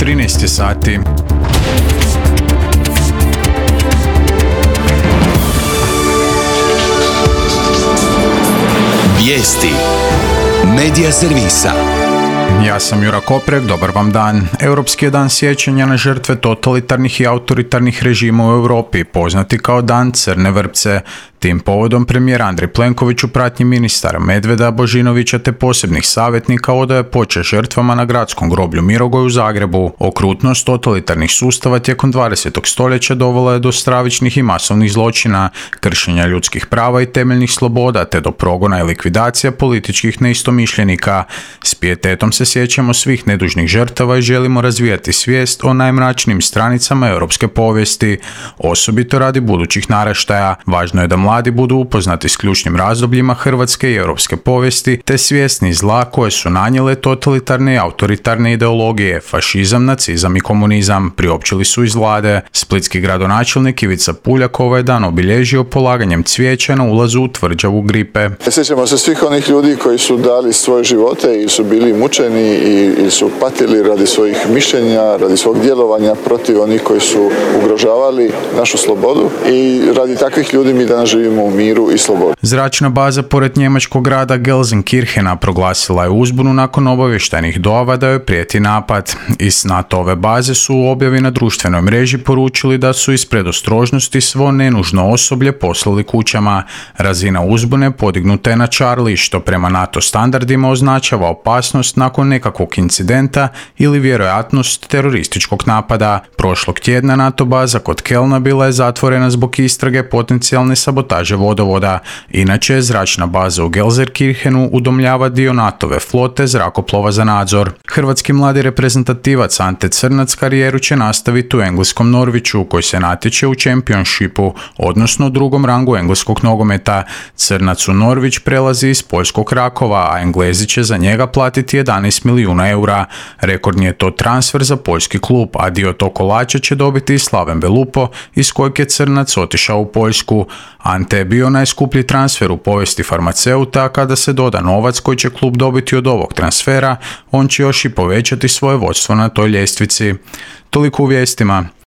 13 sati. Vijesti Medija servisa. Ja sam Jura Koprek, dobar vam dan. Europski je dan sjećanja na žrtve totalitarnih i autoritarnih režima u Europi, poznati kao Dan Crne vrpce. Tim povodom premijer Andrej Plenković u pratnji ministara Medveda, Božinovića te posebnih savjetnika odaje počast žrtvama na gradskom groblju Mirogoj u Zagrebu. Okrutnost totalitarnih sustava tijekom 20. stoljeća dovela je do stravičnih i masovnih zločina, kršenja ljudskih prava i temeljnih sloboda te do progona i likvidacija političkih neistomišljenika. S pijetetom se sjećamo svih nedužnih žrtava i želimo razvijati svijest o najmračnijim stranicama europske povijesti, osobito radi budućih naraštaja. Važno je da mladi budu upoznati s ključnim razdobljima hrvatske i europske povijesti te svjesni zla koje su nanijele totalitarne i autoritarne ideologije, fašizam, nacizam i komunizam, priopćili su iz vlade. Splitski gradonačelnik Ivica Puljak ovaj dan obilježio polaganjem cvijeća na ulazu u tvrđavu Gripe. Sjećamo se svih onih ljudi koji su dali svoje živote i su bili mučeni i su patili radi svojih mišljenja, radi svog djelovanja protiv onih koji su ugrožavali našu slobodu i radi takvih ljudi mi danas živimo u miru i slobodi. Zračna baza pored njemačkog grada Gelsenkirchena proglasila je uzbunu nakon obavještajnih dojava da joj prijeti napad. Iz NATO-ove baze su u objavi na društvenoj mreži poručili da su iz predostrožnosti svo nenužno osoblje poslali kućama. Razina uzbune podignuta je na Charlie, što prema NATO standardima označava opasnost nakon nekakvog incidenta ili vjerojatnost terorističkog napada. Prošlog tjedna NATO baza kod Kelna bila je zatvorena zbog istrage potencijalne sabotaže vodovoda. Inače, zračna baza u Gelsenkirchenu udomljava dio NATO-ve flote zrakoplova za nadzor. Hrvatski mladi reprezentativac Ante Crnac karijeru će nastaviti u engleskom Norwichu, koji se natječe u Championshipu, odnosno drugom rangu engleskog nogometa. Crnac u Norwich prelazi iz poljskog Rakova, a Englezi će za njega platiti 11 milijuna eura. Rekordni je to transfer za poljski klub, a dio tog kolača će dobiti i Slaven Belupo, iz kojeg je Crnac otišao u Poljsku. Ante je bio najskuplji transfer u povijesti farmaceuta, a kada se doda novac koji će klub dobiti od ovog transfera, on će još i povećati svoje vodstvo na toj ljestvici. Toliko u vijestima.